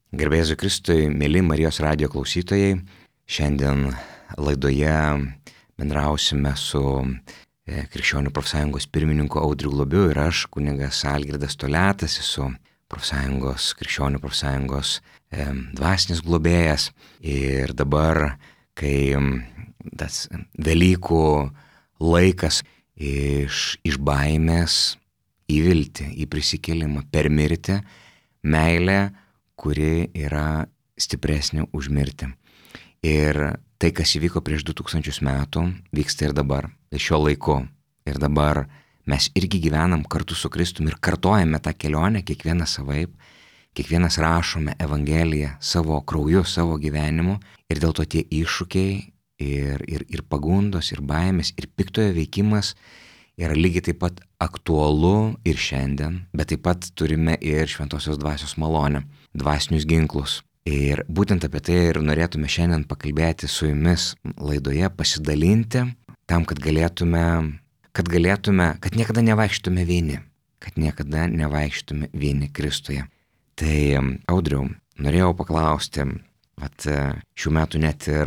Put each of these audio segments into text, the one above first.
Garbė Jėzui Kristui, mėly Marijos radijo klausytojai, šiandien laidoje bendrausime su Krikščionių profsąjungos pirmininku Audriu Globiu ir aš, kunigas Algirdas Toliatas, esu Krikščionių profsąjungos dvasinis globėjas. Ir dabar, kai tas Velykų laikas iš baimės į viltį, į prisikėlimą, per mirtį, meilę, kuri yra stipresnė už mirtį. Ir tai, kas įvyko prieš 2000 metų, vyksta ir dabar, šiuo laiku. Ir dabar mes irgi gyvenam kartu su Kristumi ir kartojame tą kelionę, kiekvienas savaip, kiekvienas rašome Evangeliją savo krauju, savo gyvenimu. Ir dėl to tie iššūkiai ir pagundos, ir baimės, ir piktojo veikimas yra lygiai taip pat aktualu ir šiandien, bet taip pat turime ir šventosios dvasios malonę, dvasinius ginklus. Ir būtent apie tai ir norėtume šiandien pakalbėti su jumis laidoje, pasidalinti tam, kad niekada nevaikštume vieni Kristuje. Tai, Audriau, norėjau paklausti, šių metų net ir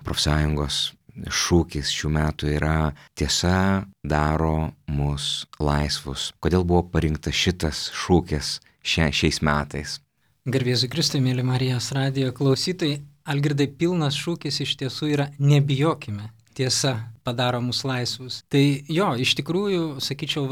profsąjungos šūkis šių metų yra tiesa daro mus laisvus. Kodėl buvo parinktas šitas šūkis šiais metais? Garbė Jėzui Kristui, mėly Marijos radijo klausytojai, Algirdai, pilnas šūkis iš tiesų yra nebijokime, tiesa padaro mus laisvus. Tai jo, iš tikrųjų, sakyčiau,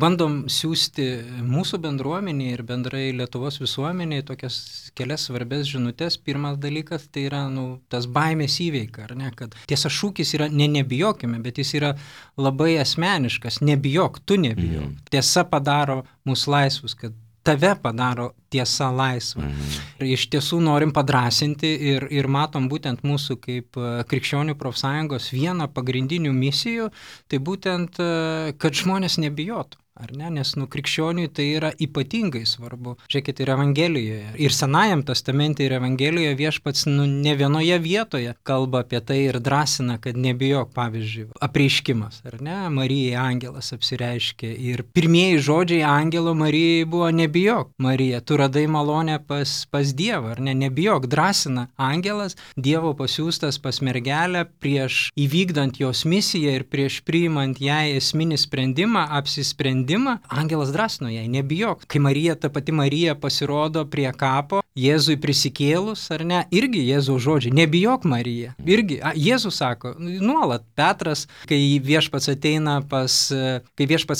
bandom siųsti mūsų bendruomenį ir bendrai Lietuvos visuomeniai tokias kelias svarbės žinutės. Pirmas dalykas tai yra tas baimės įveika, ar ne, kad tiesa šūkis yra nebijokime, bet jis yra labai asmeniškas, nebijok, tu nebijok. Tiesa padaro mus laisvus, kad tave padaro tiesa laisva. Ir iš tiesų norim padrasinti ir matom būtent mūsų kaip Krikščionių profsąjungos vieną pagrindinių misijų, tai būtent, kad žmonės nebijotų. Ar ne? Nes krikščioniui tai yra ypatingai svarbu. Žiūrėkit, ir Evangelijoje, ir Senajam testamente, ir Evangelijoje viešpats ne vienoje vietoje kalba apie tai ir drąsina, kad nebijok, pavyzdžiui, apreiškimas, ar ne? Marijai angelas apsireiškė ir pirmieji žodžiai angelo Marijai buvo nebijok, Marija, tu radai malonę pas Dievą, ar ne? Nebijok, drąsina angelas, Dievo pasiųstas pas mergelę prieš įvykdant jos misiją ir prieš priimant jai esminį sprendimą, apsisprendimą. Angelas drąsino jai, nebijok. Kai ta pati Marija pasirodo prie kapo, Jėzui prisikėlus, ar ne, irgi Jėzaus žodžiai, nebijok Marija. Irgi, Jėzus sako, nuolat Petras, kai viešpats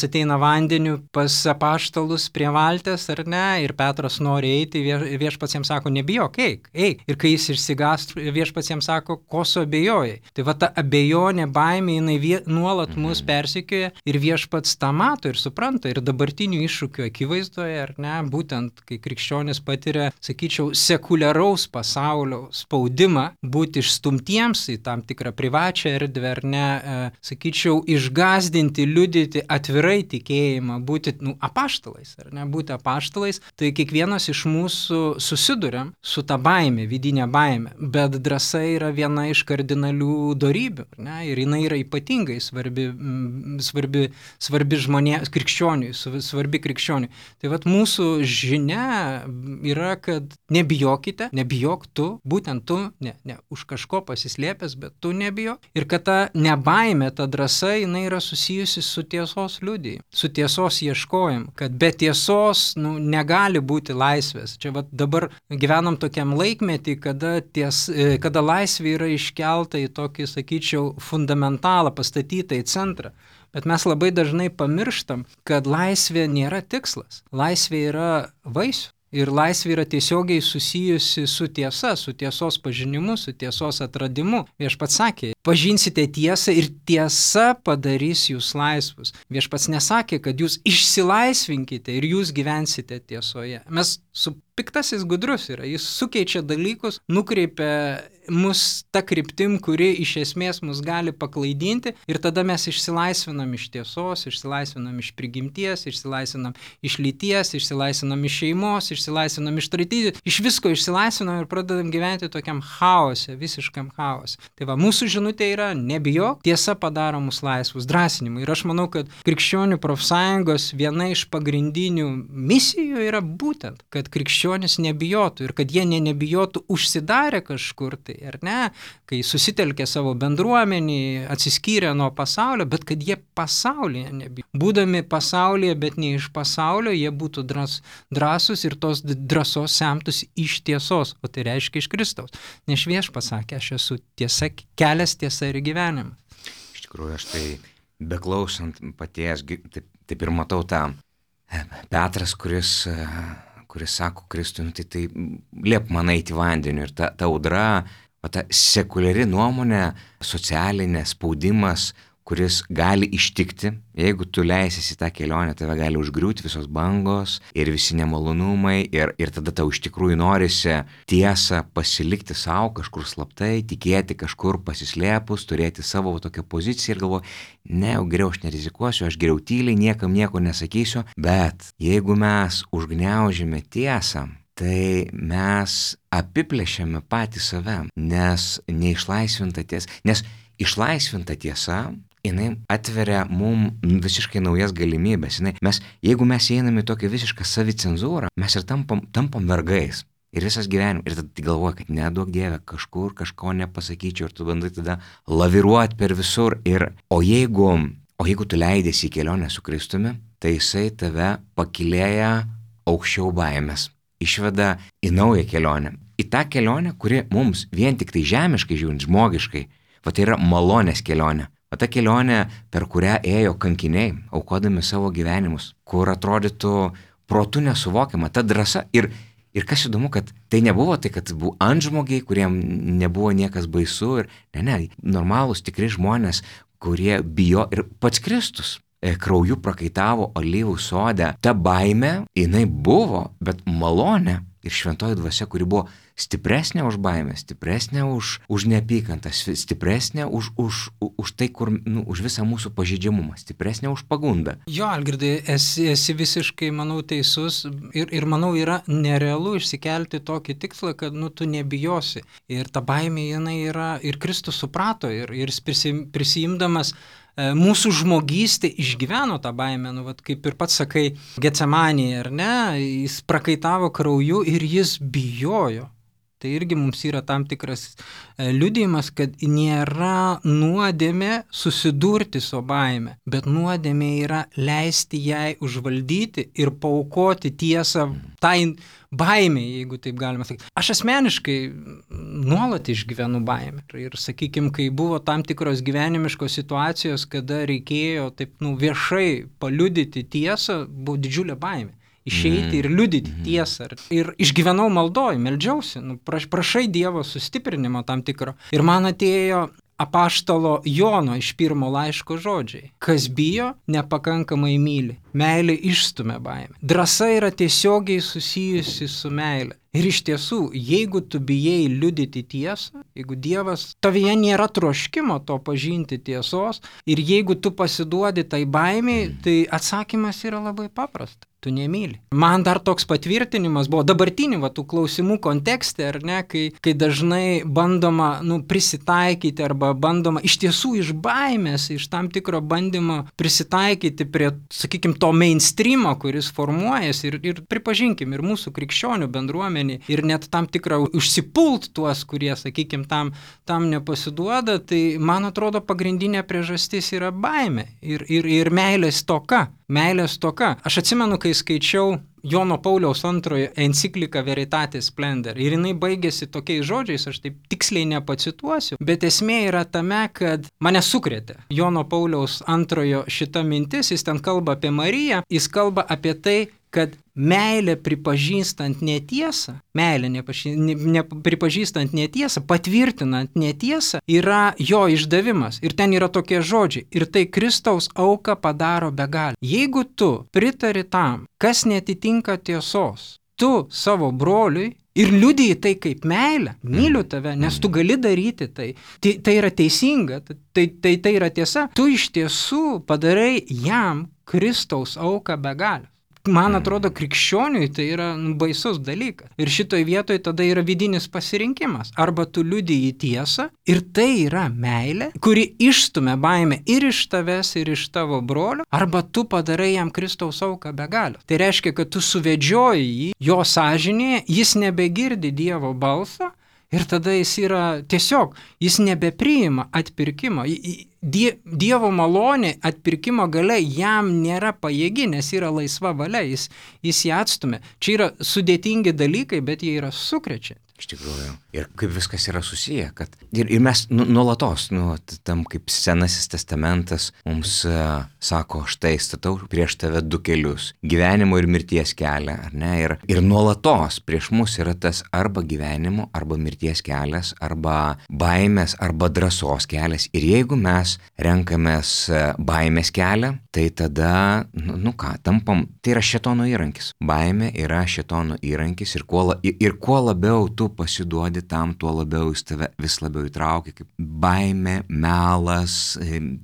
ateina vandeniu pas apaštalus prie valties, ar ne, ir Petras nori eiti, viešpats jam sako, nebijok, eik. Ir kai jis išsigąs, viešpats jam sako, ko su abejojai. Tai ta abejonė, baimė, jinai nuolat mus persekioja ir viešpats tą mato ir supranta ir dabartinių iššūkių akivaizdoje, ar ne, būtent kai krikščionis patiria, sakyčiau, sekuliaraus pasaulio spaudimą būti išstumtiems į tam tikrą privačią erdvę, ar ne, sakyčiau, išgąsdinti, liudyti atvirai tikėjimą, būti apaštalais, ar ne, būti apaštalais, tai kiekvienas iš mūsų susiduriam su ta baime, vidinė baime, bet drąsa yra viena iš kardinalių dorybių, ar ne, ir jinai yra ypatingai svarbi žmonėms, krikščioniui, svarbi krikščioniui. Tai mūsų žinia yra, kad nebijokite, nebijok tu, būtent tu, ne už kažko pasislėpęs, bet tu nebijok. Ir kad ta nebaimė, ta drąsa, jinai yra susijusi su tiesos liudijimu, su tiesos ieškojimu, kad be tiesos negali būti laisvės. Čia dabar gyvenam tokiam laikmetį, kada laisvė yra iškelta į tokį, sakyčiau, fundamentalą, pastatytą į centrą. Bet mes labai dažnai pamirštam, kad laisvė nėra tikslas. Laisvė yra vaisių. Ir laisvė yra tiesiogiai susijusi su tiesa, su tiesos pažinimu, su tiesos atradimu. Viešpats sakė, pažinsite tiesą ir tiesa padarys jūs laisvus. Viešpats nesakė, kad jūs išsilaisvinkite ir jūs gyvensite tiesoje. Piktasis gudrus yra, jis sukeičia dalykus, nukreipia mus ta kryptim, kuri iš esmės mus gali paklaidinti ir tada mes išsilaisvinam iš tiesos, išsilaisvinam iš prigimties, išsilaisvinam iš lyties, išsilaisvinam iš šeimos, išsilaisvinam iš tradicijų, iš visko išsilaisvinam ir pradedam gyventi tokiam chaose, visiškam chaose. Tai mūsų žinutė žinutė yra nebijok, tiesa padaro mus laisvus, drąsinimu. Ir aš manau, kad krikščionių profsąjungos viena iš pagrindinių misijų yra būtent, kad krikščionis nebijotų ir kad jie nebijotų užsidarę kažkur tai, ar ne, kai susitelkė savo bendruomenį, atsiskyrė nuo pasaulio, bet kad jie pasaulyje nebijo. Būdami pasaulyje, bet ne iš pasaulio, jie būtų drąsūs ir tos drąsos semtųsi iš tiesos, o tai reiškia iš Kristaus. Nes Viešpats sakė, aš esu tiesa, kelias, tiesa ir gyvenimas. Iš tikrųjų, aš tai beklausant paties, taip ir matau tą Petras, kuris sako Kristui, tai liep man eiti vandeniu ir ta audra, ta sekuliari nuomonė, socialinė spaudimas, kuris gali ištikti, jeigu tu leisies į tą kelionę, tave gali užgriūti visos bangos ir visi nemalonumai ir tada tau iš tikrųjų norisi tiesą pasilikti savo kažkur slaptai, tikėti kažkur pasislėpus, turėti savo tokią poziciją ir galvoju, ne, geriau aš nerizikuosiu, aš geriau tyliai, niekam nieko nesakysiu, bet jeigu mes užgniaužime tiesą, tai mes apiplėšiame patį save, nes neišlaisvinta tiesa, nes išlaisvinta tiesa, jinai atveria mum visiškai naujas galimybės. Jeigu mes einame į tokią visišką savicenzūrą, mes ir tampam vergais. Ir visas gyvenimas. Ir tada galvoja, kad neduok Dieve, kažkur kažko nepasakyčiau ir tu bandai tada laviruoti per visur. O jeigu tu leidėsi į kelionę su Kristumi, tai jisai tave pakilėja aukščiau baimės. Išveda į naują kelionę. Į tą kelionę, kuri mums vien tik tai žemiškai žiūrint, žmogiškai, tai yra malonės kelionė. Ta kelionė, per kurią ėjo kankiniai, aukodami savo gyvenimus, kur atrodytų protu nesuvokiama, ta drąsa. Ir kas įdomu, kad tai nebuvo tai, kad buvo antžmogiai, kuriem nebuvo niekas baisu. Normalūs, tikri žmonės, kurie bijo ir pats Kristus krauju prakaitavo alyvų sode. Ta baimė, jinai buvo, bet malonė ir šventoji dvasia, kuri buvo stipresnė už baimę, stipresnė už neapykantą, stipresnė už tai, už visą mūsų pažeidžiamumą, stipresnė už pagundą. Jo, Algirdai, esi visiškai, manau, teisus ir manau, yra nerealu išsikelti tokį tikslą, kad tu nebijosi. Ir ta baimė, jinai yra, ir Kristus suprato, ir prisijimdamas mūsų žmogystė išgyveno tą baimę, kaip ir pats sakai, Getsemanėje, ar ne, jis prakaitavo krauju ir jis bijojo. Tai irgi mums yra tam tikras liudijimas, kad nėra nuodėmė susidurti su baime, bet nuodėmė yra leisti jai užvaldyti ir paaukoti tiesą tai baimė, jeigu taip galima sakyti. Aš asmeniškai nuolat išgyvenu baimę. Ir sakykime, kai buvo tam tikros gyvenimiškos situacijos, kada reikėjo taip viešai paliudyti tiesą, buvo didžiulė baimė. Išeiti ir liudyti tiesą. Ir išgyvenau maldoj, meldžiausi, prašai Dievo sustiprinimo tam tikro. Ir man atėjo apaštalo Jono iš 1 laiško žodžiai. Kas bijo, nepakankamai myli. Meilė išstumia baimę. Drąsa yra tiesiogiai susijusi su meilė. Ir iš tiesų, jeigu tu bijai liudyti tiesą, jeigu Dievas tavyje nėra troškimo to pažinti tiesos, ir jeigu tu pasiduodi tai baimiai, tai atsakymas yra labai paprastas. Tu nemyli. Man dar toks patvirtinimas buvo dabartinių tų klausimų kontekste, ar ne, kai dažnai bandoma prisitaikyti arba bandoma iš tiesų iš baimės, iš tam tikro bandymo prisitaikyti prie, sakykime, to mainstreamo, kuris formuojasi ir pripažinkim, ir mūsų krikščionių bendruomenė, ir net tam tikrą užsipult tuos, kurie, sakykime, tam nepasiduoda, tai man atrodo pagrindinė priežastis yra baimė ir meilės stoka. Meilės stoka. Aš atsimenu, kai skaičiau Jono Pauliaus II encikliką Veritatis Splendor ir jinai baigėsi tokiais žodžiais, aš taip tiksliai nepacituosiu, bet esmė yra tame, kad mane sukrėtė Jono Pauliaus II šita mintis, jis ten kalba apie Mariją, jis kalba apie tai, kad meilė pripažįstant netiesą, pripažįstant netiesą, patvirtinant netiesą, yra jo išdavimas. Ir ten yra tokie žodžiai. Ir tai Kristaus auką padaro begalę. Jeigu tu pritari tam, kas netitinka tiesos, tu savo broliui ir liudiji tai kaip meilę, myliu tave, nes tu gali daryti tai. Tai yra teisinga, tai yra tiesa. Tu iš tiesų padarai jam Kristaus auką begalę. man atrodo, krikščioniui tai yra baisus dalykas. Ir šitoj vietoj tada yra vidinis pasirinkimas. Arba tu liudiji tiesą ir tai yra meilė, kuri išstumia baimę ir iš tavęs, ir iš tavo brolio, arba tu padarai jam Kristaus auką be galios. Tai reiškia, kad tu suvedžioji jį, jo sąžinėje, jis nebegirdi Dievo balso ir tada jis yra tiesiog, jis nebepriima atpirkimo. Dievo malonė atpirkimo galia jam nėra pajėgi, nes yra laisva valia, jis ją atstumia. Čia yra sudėtingi dalykai, bet jie yra sukrečianti. Iš tikrųjų. Ir kaip viskas yra susiję, kad ir mes nuolatos, tam kaip Senasis testamentas mums sako, štai statau prieš tave du kelius, gyvenimo ir mirties kelią, ar ne? Ir nuolatos prieš mus yra tas arba gyvenimo, arba mirties kelias, arba baimės, arba drąsos kelias. Ir jeigu mes renkamės baimės kelią, tai tada, tampam, tai yra šėtono įrankis. Baimė yra šėtono įrankis ir kuo labiau tu pasiduodi tam, tuo labiau jis tave vis labiau įtraukia, kaip baimė, melas,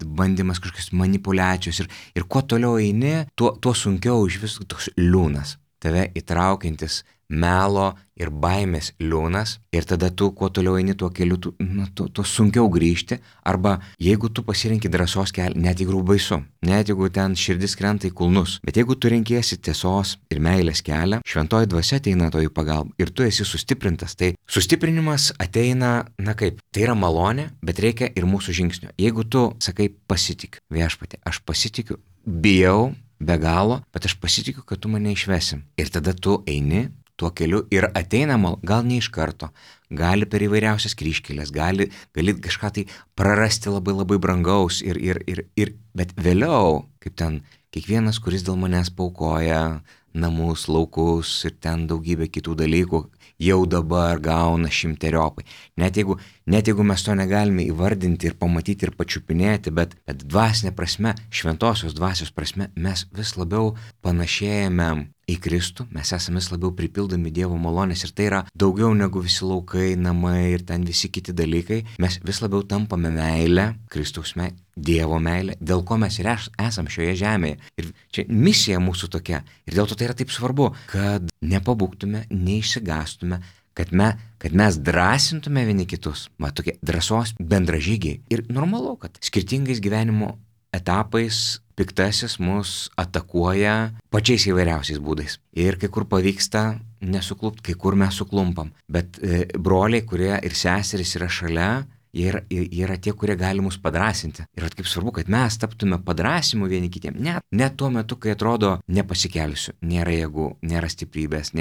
bandymas kažkokios manipulacijos ir kuo toliau eini, tuo sunkiau iš vis toks liūnas, tave įtraukiantis melo ir baimės liūnas ir tada tu kuo toliau eini tuo keliu, tuo sunkiau grįžti arba jeigu tu pasirinki drąsos kelią, net jeigu baisu, net jeigu ten širdis krenta į kulnus, bet jeigu tu renkiesi tiesos ir meilės kelią, šventoji dvasia ateina to į pagalbą ir tu esi sustiprintas. Tai sustiprinimas ateina, tai yra malonė, bet reikia ir mūsų žingsnio. Jeigu tu sakai pasitikiu, Viešpatie, aš pasitikiu, bijau be galo, bet aš pasitikiu, kad tu mane išvesim. Ir tada tu eini tuo keliu ir ateina gal ne iš karto, gali per įvairiausias kryžkelės, gali kažką tai prarasti labai labai brangaus bet vėliau, kaip ten kiekvienas, kuris dėl manęs paukoja namus, laukus ir ten daugybę kitų dalykų, jau dabar gauna 100-eriopai. Net jeigu mes to negalime įvardinti ir pamatyti ir pačiupinėti, bet dvasinė prasme, šventosios dvasios prasme, mes vis labiau panašėjame į Kristų, mes esame vis labiau pripildomi Dievo malonės ir tai yra daugiau negu visi laukai, namai ir ten visi kiti dalykai. Mes vis labiau tampame meilę, Kristaus meilę, Dievo meilę, dėl ko mes ir esame šioje žemėje. Ir čia misija mūsų tokia. Ir dėl to tai yra taip svarbu, kad nepabūgtume, neišsigastume, kad mes drąsintume vieni kitus. Tokie drąsos bendražygiai. Ir normalu, kad skirtingais gyvenimo etapais piktasis mus atakuoja pačiais įvairiausiais būdais. Ir kai kur pavyksta nesuklupti, kai kur mes suklumpam. Bet broliai, kurie ir seserys yra šalia, jie yra tie, kurie gali mus padrąsinti. Ir kaip svarbu, kad mes taptume padrąsimu vieni kitiem. Net tuo metu, kai atrodo nepasikelsiu, nėra jėgų, nėra stiprybės,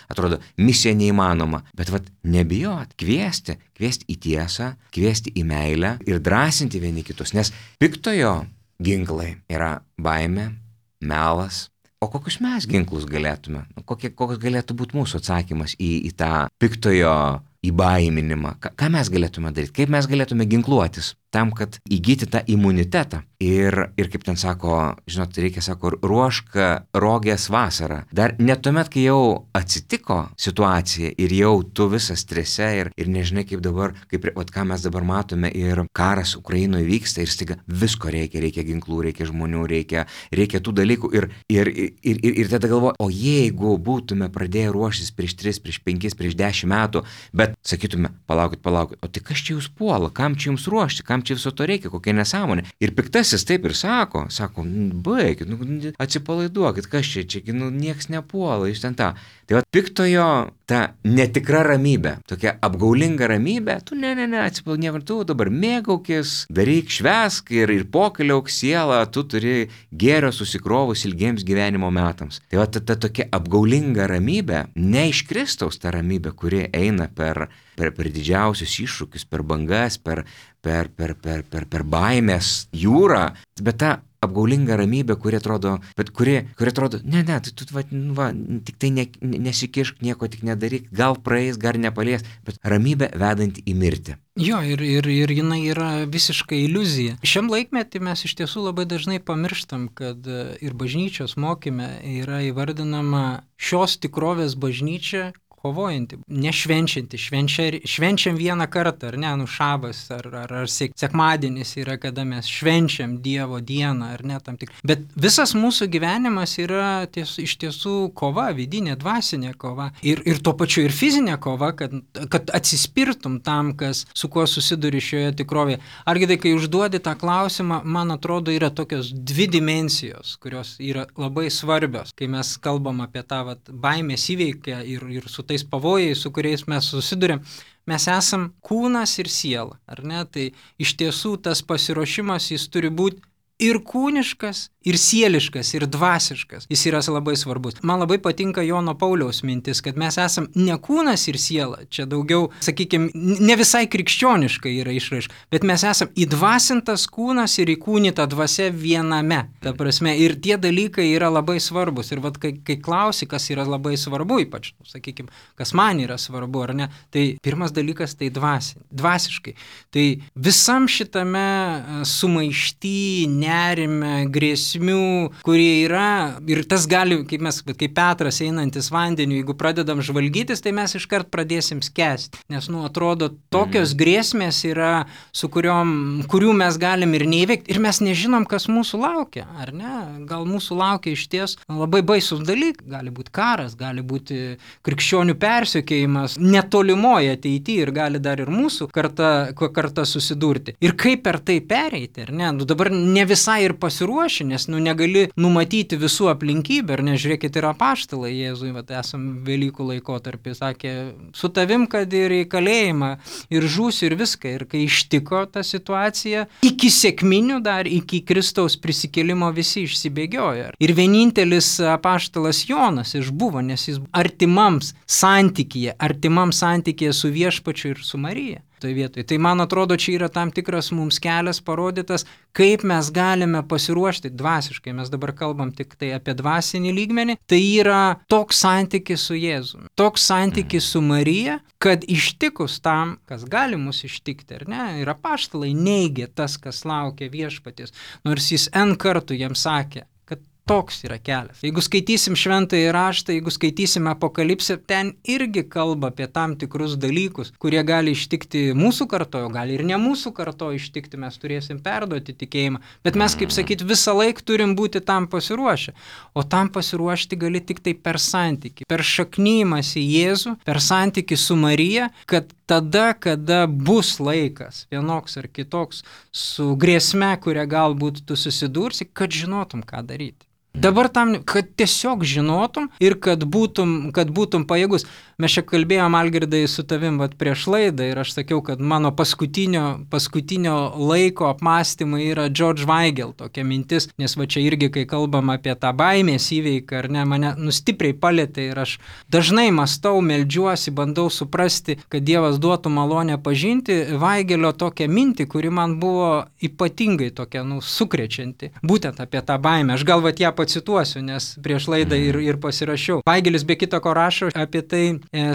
atrodo misija neįmanoma. Bet nebijot, kviesti į tiesą, kviesti į meilę ir drąsinti vieni kitus. Nes piktojo ginklai yra baimė, melas. O kokius mes ginklus galėtume? Koks galėtų būti mūsų atsakymas į tą piktojo įbaiminimą? Ką mes galėtume daryti? Kaip mes galėtume ginkluotis tam, kad įgyti tą imunitetą? Ir kaip ten sako, reikia, ruošk rogės vasarą. Dar net tuomet, kai jau atsitiko situacija ir jau tu visas strese ir nežinai kaip dabar, ką mes dabar matome ir karas Ukrainoje vyksta ir staiga visko reikia ginklų, reikia žmonių, reikia tų dalykų ir tada galvoju, o jeigu būtume pradėję ruoštis prieš 3, prieš 5, prieš 10 metų, bet sakytume, palaukit, o tai kas čia jūs puola, kam čia jums ruošti, kam čia viso to reikia, kokia nesąmonė. Ir piktasis taip ir sako, baikit, atsipalaiduokit, kas čia, nieks nepuola, jūs ten tą. Tai piktojo ta netikra ramybė, tokia apgaulinga ramybė, tu atsipalaiduok, tu dabar mėgaukis, daryk, švęsk ir pokeliauk sielą, tu turi gėrio susikrovus ilgiems gyvenimo metams. Tai ta tokia apgaulinga ramybė, ne iš Kristaus ta ramybė, kuri eina per didžiausius iššūkius, per bangas, per baimės jūrą, bet ta apgaulinga ramybė, kuri atrodo, tik tai nesikišk, nieko tik nedaryk, gal praeis, gal nepalies, bet ramybė vedanti į mirtį. Jo, ir jinai yra visiškai iliuzija. Šiam laikmetį mes iš tiesų labai dažnai pamirštam, kad ir bažnyčios mokyme yra įvardinama šios tikrovės bažnyčia, kovojanti, nešvenčianti, švenčiam vieną kartą, ar ne, šabas, ar sekmadienis yra, kada mes švenčiam Dievo dieną, ar ne, tam tik. Bet visas mūsų gyvenimas yra iš tiesų kova, vidinė, dvasinė kova. Ir tuo pačiu ir fizinė kova, kad atsispirtum tam, su kuo susiduri šioje tikrovėje. Argi kai užduodi tą klausimą, man atrodo, yra tokios dvi dimensijos, kurios yra labai svarbios, kai mes kalbam apie tą baimės įveikę ir su tais pavojais, su kuriais mes susidurėm. Mes esam kūnas ir siela, ar ne? Tai iš tiesų tas pasiruošimas jis turi būti ir kūniškas, ir sieliškas, ir dvasiškas. Jis yra labai svarbus. Man labai patinka Jono Pauliaus mintis, kad mes esam ne kūnas ir siela. Čia daugiau, sakykime, ne visai krikščioniškai yra išraiška, bet mes esam įdvasintas kūnas ir įkūnyta dvasia viename. Ta prasme, ir tie dalykai yra labai svarbus. Ir kai klausi, kas yra labai svarbu, ypač, sakykime, kas man yra svarbu, ar ne, tai pirmas dalykas tai dvasiškai. Tai visam šitame sumaišty, nerime, grėsmių, kurie yra, ir tas gali, kaip Petras einantis vandeniu, jeigu pradedam žvalgytis, tai mes iškart pradėsim skęsti, nes, atrodo, tokios grėsmės yra, kurių mes galim ir neįveikti, ir mes nežinom, kas mūsų laukia, ar ne? Gal mūsų laukia išties labai baisus dalykai, gali būti karas, gali būti krikščionių persekiojimas netolimoje ateityje ir gali dar ir mūsų karta susidurti. Ir kaip per tai pereiti, ar ne? Dabar ne visai ir pasiruoši, nes negali numatyti visų aplinkybių, ar nežiūrėkit, ir apaštalai Jėzui, esam Velykų laikotarpį, sakė, su tavim, kad ir į kalėjimą, ir žūsiu, ir viską. Ir kai ištiko ta situacija, iki sekminių dar, iki Kristaus prisikėlimo visi išsibėgiojo. Ir vienintelis apaštalas Jonas išbuvo, nes jis artimam santykyje su Viešpačiu ir su Marija. Toj vietoj. Tai man atrodo, čia yra tam tikras mums kelias parodytas, kaip mes galime pasiruošti dvasiškai. Mes dabar kalbam tik tai apie dvasinį lygmenį. Tai yra toks santykis su Jėzumi, toks santykis su Marija, kad ištikus tam, kas gali mus ištikti, ar ne, ir apaštalai neigė tas, kas laukia Viešpaties, nors jis N kartų jiems sakė, kad toks yra kelias. Jeigu skaitysim šventąjį raštą, jeigu skaitysim apokalipsę, ten irgi kalba apie tam tikrus dalykus, kurie gali ištikti mūsų kartojo, gali ir ne mūsų kartojo ištikti, mes turėsim perduoti tikėjimą. Bet mes, kaip sakyt, visą laiką turim būti tam pasiruošę. O tam pasiruošti gali tik tai per santykį, per šaknymas į Jėzų, per santykį su Marija, kad tada, kada bus laikas, vienoks ar kitoks, su grėsme, kurią galbūt tu susidursi, kad žinotum, ką daryti. Dabar tam, kad tiesiog žinotum ir kad būtum pajėgus. Mes čia kalbėjom, Algirdai, su tavim prieš laidą ir aš sakiau, kad mano paskutinio laiko apmąstymai yra George Weigel tokia mintis, nes čia irgi, kai kalbam apie tą baimės įveiką, ar ne, mane stipriai palietė ir aš dažnai mąstau, meldžiuosi, bandau suprasti, kad Dievas duotų malonę pažinti Weigelio tokią mintį, kuri man buvo ypatingai tokia, sukrečianti, būtent apie tą baimę. Aš gal ją pacituosiu, nes prieš laidą ir pasirašiau. Weigelis be kita ko rašo apie tai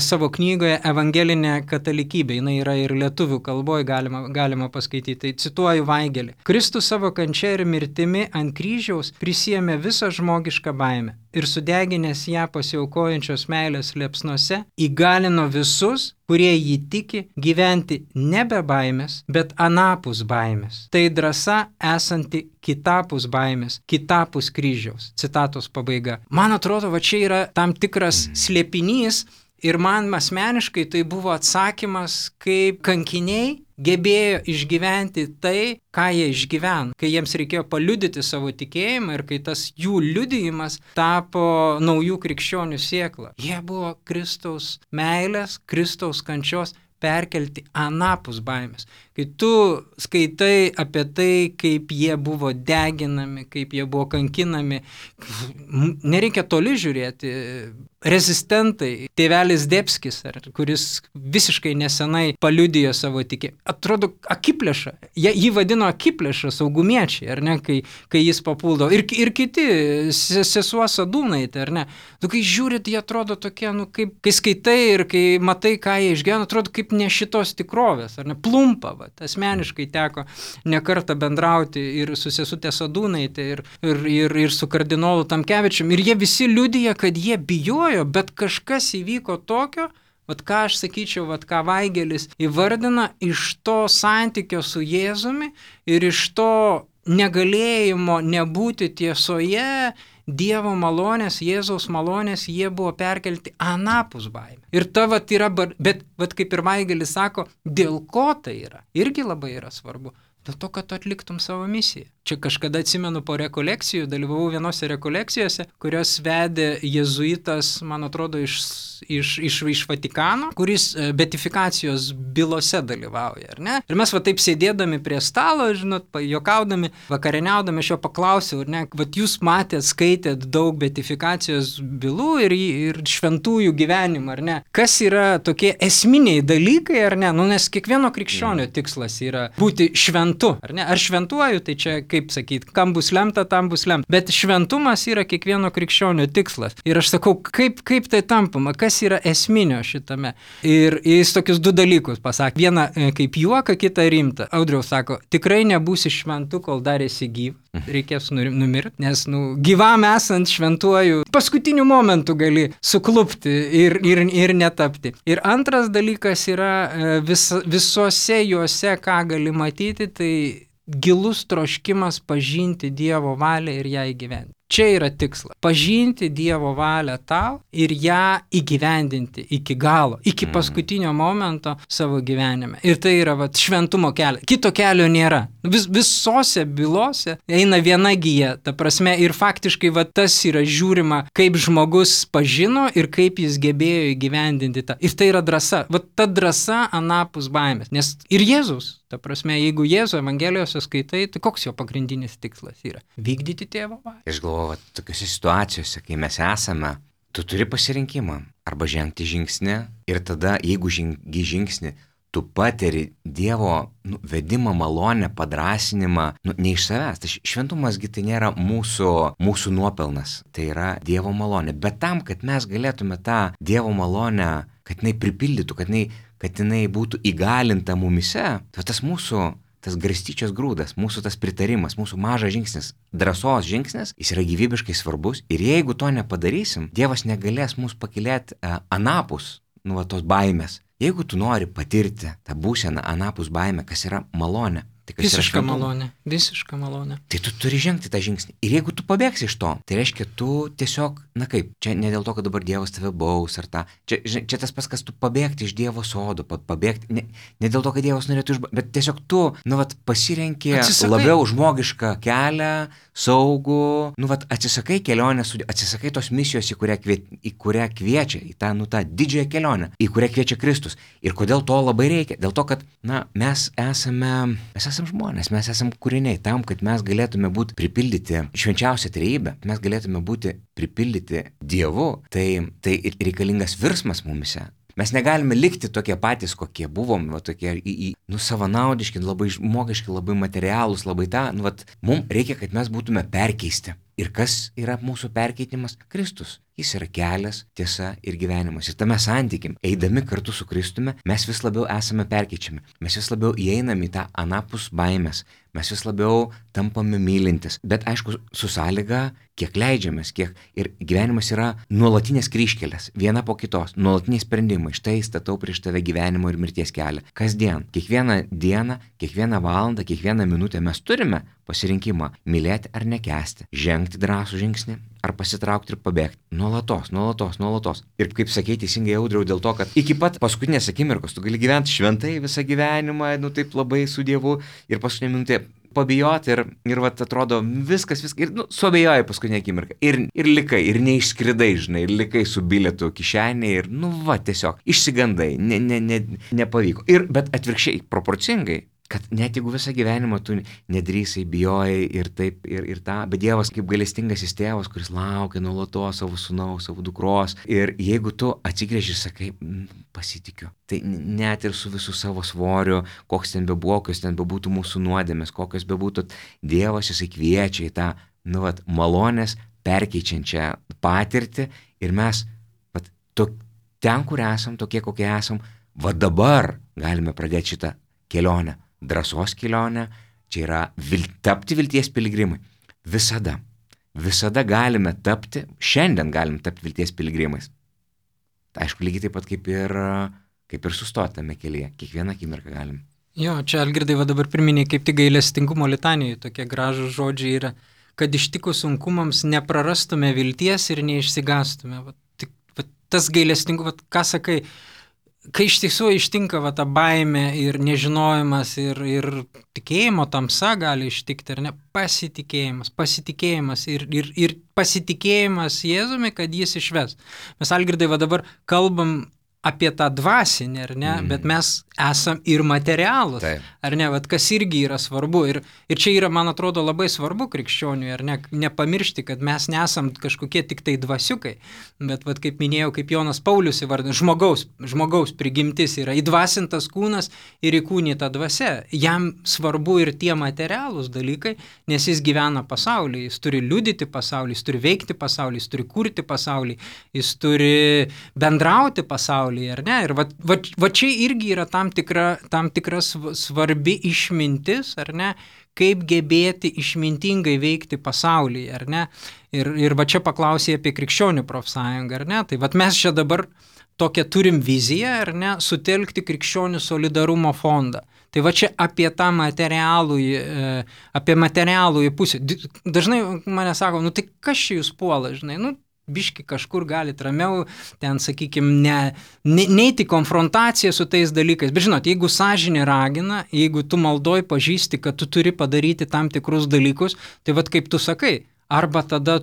savo knygoje Evangelinė katalikybė. Jis yra ir lietuvių kalboje, galima paskaityti. Tai cituoju Weigelį. Kristus savo kančia ir mirtimi ant kryžiaus prisiėmė visą žmogišką baimę ir sudeginęs ją pasiaukojančios meilės liepsnose įgalino visus, kurie jį tiki, gyventi nebe baimės, bet anapus baimės. Tai drąsa esanti kitapus baimės, kitapus kryžiaus. Citatos pabaiga. Man atrodo, čia yra tam tikras slėpinys ir man asmeniškai tai buvo atsakymas, kaip kankiniai gebėjo išgyventi tai, ką jie išgyveno, kai jiems reikėjo paliudyti savo tikėjimą ir kai tas jų liudijimas tapo naujų krikščionių sėkla. Jie buvo Kristaus meilės, Kristaus kančios perkelti anapus baimės. Kai tu skaitai apie tai, kaip jie buvo deginami, kaip jie buvo kankinami, nereikia toli žiūrėti. Rezistentai, tėvelis Debskis, kuris visiškai nesenai paliudijo savo tikėjimą, atrodo akiplėša. Jį vadino akiplėša, saugumiečiai, ar ne, kai jis papuldo. Ir kiti, sesuo Sadūnaitė, ar ne. Kai žiūrit, jie atrodo tokie, kai skaitai ir kai matai, ką jie išgyveno, atrodo kaip ne šitos tikrovės, ar ne, plumpa. Asmeniškai teko nekartą bendrauti ir su sesutė Sadūnaitė, ir su kardinolu Tamkevičium. Ir jie visi liudija, kad jie bijojo, bet kažkas įvyko tokio, ką aš sakyčiau, ką Vaigelis įvardina, iš to santykio su Jėzumi ir iš to negalėjimo nebūti tiesoje, Dievo malonės, Jėzaus malonės, jie buvo perkelti anapus baimę. Ir ta yra, bet kaip ir Vaigelis sako, dėl ko tai yra, irgi labai yra svarbu. Dėl to, kad tu atliktum savo misiją. Čia kažkada atsimenu po rekolekcijų, dalyvavau vienose rekolekcijose, kurios vedė jėzuitas, man atrodo, iš Vatikano, kuris beatifikacijos bylose dalyvauja, ar ne? Ir mes taip sėdėdami prie stalo, žinot, juokaudami, vakarieniaudami, aš jo paklausiau, ar ne, jūs matėt, skaitėt daug beatifikacijos bylų ir šventųjų gyvenimą, ar ne? Kas yra tokie esminiai dalykai, ar ne? Nes kiekvieno krikščionio tikslas yra būti šventu, ar ne? Ar šventuoju, tai čia kaip sakyti, kam bus lemta, tam bus lemta. Bet šventumas yra kiekvieno krikščionio tikslas. Ir aš sakau, kaip tai tampama, kas yra esminio šitame. Ir jis tokius du dalykus pasakė. Vieną kaip juoką, kitą rimtą. Audriau sako, tikrai nebūsi šventu, kol dar esi gyvas. Reikės numirti, nes gyvam esant šventuoju, paskutiniu momentu gali suklupti ir netapti. Ir antras dalykas yra visose juose, ką gali matyti, tai gilus troškimas pažinti Dievo valią ir ją įgyvendinti. Čia yra tikslas. Pažinti Dievo valią tau ir ją įgyvendinti iki galo, iki paskutinio momento savo gyvenime. Ir tai yra šventumo kelias. Kito kelio nėra. Visose bylose eina viena gija, ta prasme, ir faktiškai tas yra žiūrima, kaip žmogus pažino ir kaip jis gebėjo įgyvendinti tą. Ir tai yra drąsa. Ta drąsa anapus baimės. Nes ir Jėzus, ta prasme, jeigu Jėzų Evangelijose skaitai, tai koks jo pagrindinis tikslas yra? Vykdyti tėvo valią. Aš galvoju, tokiuose situacijose, kai mes esame, tu turi pasirinkimą. Arba žengti žingsnį ir tada, jeigu žengi žingsnį, tu pateri Dievo vedimą, malonę, padrasinimą, ne iš savęs. Tai šventumasgi tai nėra mūsų nuopelnas, tai yra Dievo malonė. Bet tam, kad mes galėtume tą Dievo malonę, kad jinai pripildytų, kad jinai būtų įgalinta mumise, tas garstyčios grūdas, mūsų tas pritarimas, mūsų mažas žingsnis, drąsos žingsnis, jis yra gyvybiškai svarbus. Ir jeigu to nepadarysim, Dievas negalės mūsų pakilėti anapus tos baimės. Jeigu tu nori patirti tą būseną anapus baimę, kas yra malonė, tai kas visiška yra malonė, visiška malonė. Tai tu turi žengti tą žingsnį. Ir jeigu tu pabėgsi iš to, tai reiškia, tu tiesiog, čia ne dėl to, kad dabar Dievas tave baus ar tą, čia tas pats, kas tu pabėgti iš Dievo sodo, pabėgti, ne dėl to, kad Dievas norėtų bet tiesiog tu, pasirenki labiau žmogišką kelią, saugų, atsisakai kelionės, atsisakai tos misijos, į kurią kviečia, į tą didžiąją kelionę, į kurią kviečia Kristus. Ir kodėl to labai reikia? Dėl to, kad, mes esame žmonės, mes esame kūriniai tam, kad mes galėtume būti pripildyti švenčiausią trejybę, mes galėtume būti pripildyti Dievu, tai reikalingas virsmas mumise. Mes negalime likti tokie patys, kokie buvom, tokie savanaudiški, labai žmogiški, labai materialūs, labai mums reikia, kad mes būtume perkeisti. Ir kas yra mūsų perkeitimas? Kristus. Jis yra kelias, tiesa ir gyvenimas. Ir tame santykim, eidami kartu su Kristumi, mes vis labiau esame perkeičiami. Mes vis labiau įeiname į tą anapus baimės. Mes vis labiau tampame mylintis. Bet aišku, su sąlyga, kiek leidžiamės, ir gyvenimas yra nuolatinės kryžkelės, viena po kitos, nuolatiniai sprendimai. Štai statau prieš tave gyvenimo ir mirties kelią. Kasdien, kiekvieną dieną, kiekvieną valandą, kiekvieną minutę mes turime pasirinkimą mylėti ar nekęsti, žengti drąsų žingsnį ar pasitraukti ir pabėgti. Nuolatos. Ir kaip sakei teisingai, Audriau, dėl to, kad iki pat paskutinės akimirkos tu gali gyventi šventai visą gyvenimą, taip labai su Dievu ir paskutinė minutė pabijoti ir atrodo viskas, ir suabejoji paskutinę akimirką. Ir likai, ir neišskridai, žinai, ir likai su bilietu kišenėje ir tiesiog išsigandai, nepavyko. Bet atvirkščiai, proporcingai, kad net jeigu visą gyvenimą tu nedrįsai, bijojai ir taip, ir tą, bet Dievas kaip gailestingasis tėvas, kuris laukia nuolatos savo sūnaus, savo dukros, ir jeigu tu atsigręži ir sakai, pasitikiu, tai net ir su visų savo svoriu, koks ten bebuvo, kokios ten bebūtų mūsų nuodėmės, kokios bebūtų, Dievas jisai kviečia į tą, malonės perkeičiančią patirtį ir mes, ten, kur esam, tokie, kokie esam, dabar galime pradėti šitą kelionę. drąsos kelionė, čia yra tapti vilties piligrimai. Visada galime tapti, šiandien galim tapti vilties piligrimais. Aišku, lygiai taip pat kaip ir sustoti tame kelyje, kiekvieną akimirką galim. Jo, čia Algirdai va dabar priminė kaip tik gailestingumo litanijoje, tokie gražūs žodžiai yra, kad ištikus sunkumams neprarastume vilties ir neišsigastume. Tas gailestingumas, ką sakai, kai iš tiesų ištinka ta baimė ir nežinojimas ir tikėjimo tamsa gali ištikti, ar ne, pasitikėjimas ir pasitikėjimas Jėzumi, kad jis išves. Mes, Algirdai, va dabar kalbam apie tą dvasinį, ar ne, bet mes esam ir materialūs, ar ne, kas irgi yra svarbu. Ir čia yra, man atrodo, labai svarbu krikščioniui, ar ne, nepamiršti, kad mes nesam kažkokie tik tai dvasiukai, bet, kaip minėjau, kaip Jonas Paulius įvardino, žmogaus prigimtis yra įdvasintas kūnas ir įkūnyta dvasia. Jam svarbu ir tie materialūs dalykai, nes jis gyvena pasaulyje, jis turi liudyti pasaulį, jis turi veikti pasaulį, jis turi kurti pasaulį, jis turi bendrauti pasaulį. Ar ne? Ir va čia irgi yra tam tikra svarbi išmintis, ar ne, kaip gebėti išmintingai veikti pasaulyje, ar ne. Ir va čia paklausė apie krikščionių profsąjungą, ar ne. Tai va mes čia dabar tokią turim viziją, ar ne, sutelkti krikščionių solidarumo fondą. Tai va čia apie tą materialųjį pusę. Dažnai mane sako, tai kas čia jūs puola, žinai, biški kažkur galit ramiau, ten, sakykime, neiti konfrontaciją su tais dalykais. Bet žinot, jeigu sąžinė ragina, jeigu tu maldoj pažįsti, kad tu turi padaryti tam tikrus dalykus, tai vat kaip tu sakai, arba tada